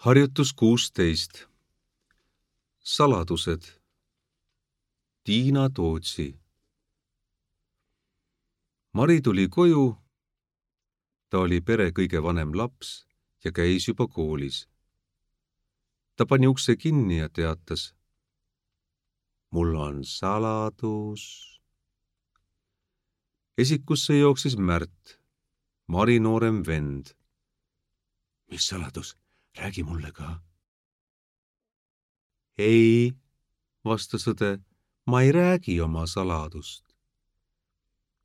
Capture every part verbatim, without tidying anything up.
Harjutus kuusteist. Saladused. Tiina Tootsi. Mari tuli koju. Ta oli pere kõige vanem laps ja käis juba koolis. Ta pani ukse kinni ja teatas: mul on saladus. Esikusse jooksis Märt, Mari noorem vend. Mis saladus? Räägi mulle ka. Ei, vastas õde, ma ei räägi oma saladust.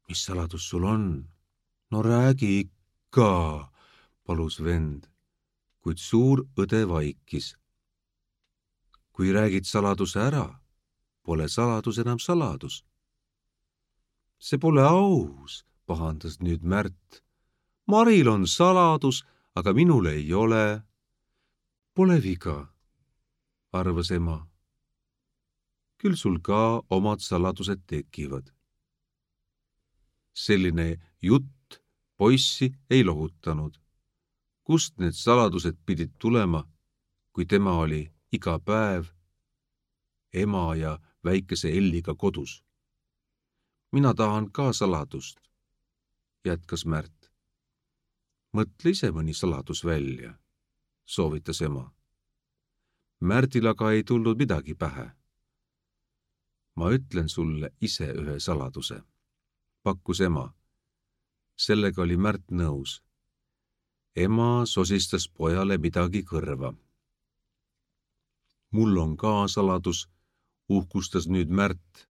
Mis saladus sul on? No räägi ikka, palus vend, kuid suur õde vaikis. Kui räägid saladuse ära, pole saladus enam saladus. See pole aus, pahandas nüüd Märt. Maril on saladus, aga minul ei ole. Pole viga, arvas ema. Küll sul ka omad saladused tekivad. Selline jutt poissi ei lohutanud. Kust need saladused pidid tulema, kui tema oli iga päev ema ja väikese Elliga kodus? Mina tahan ka saladust, jätkas Märt. Mõtle ise mõni saladus välja, soovitas ema. Märtil aga ei tulnud midagi pähe. Ma ütlen sulle ise ühe saladuse, pakkus ema. Sellega oli Märt nõus. Ema sosistas pojale midagi kõrva. Mul on ka saladus, uhkustas nüüd Märt.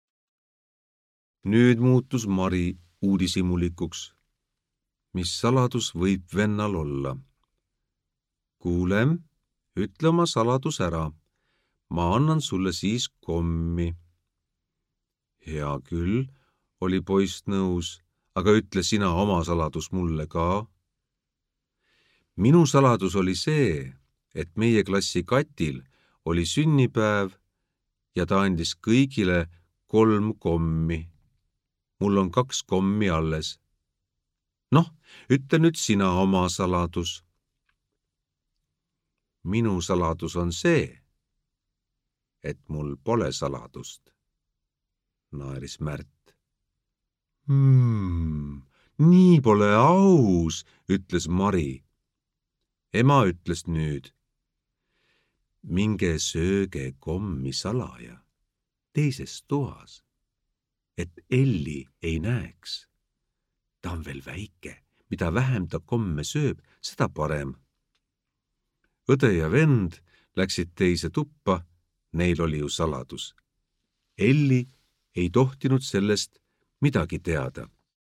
Nüüd muutus Mari uudishimulikuks. Mis saladus võib vennal olla? Kuule, ütle oma saladus ära. Ma annan sulle siis kommi. Hea küll, oli poiss nõus, aga ütle sina oma saladus mulle ka. Minu saladus oli see, et meie klassi Katil oli sünnipäev ja ta andis kõigile kolm kommi. Mul on kaks kommi alles. Noh, ütle nüüd sina oma saladus. Minu saladus on see, et mul pole saladust, naeris Märt. Hmm, nii pole aus, ütles Mari. Ema ütles nüüd: minge sööge kommi salaja teises toas, et Elli ei näeks. Ta on veel väike, mida vähem ta komme sööb, seda parem. Õde ja vend läksid teise tuppa, neil oli ju saladus. Elli ei tohtinud sellest midagi teada.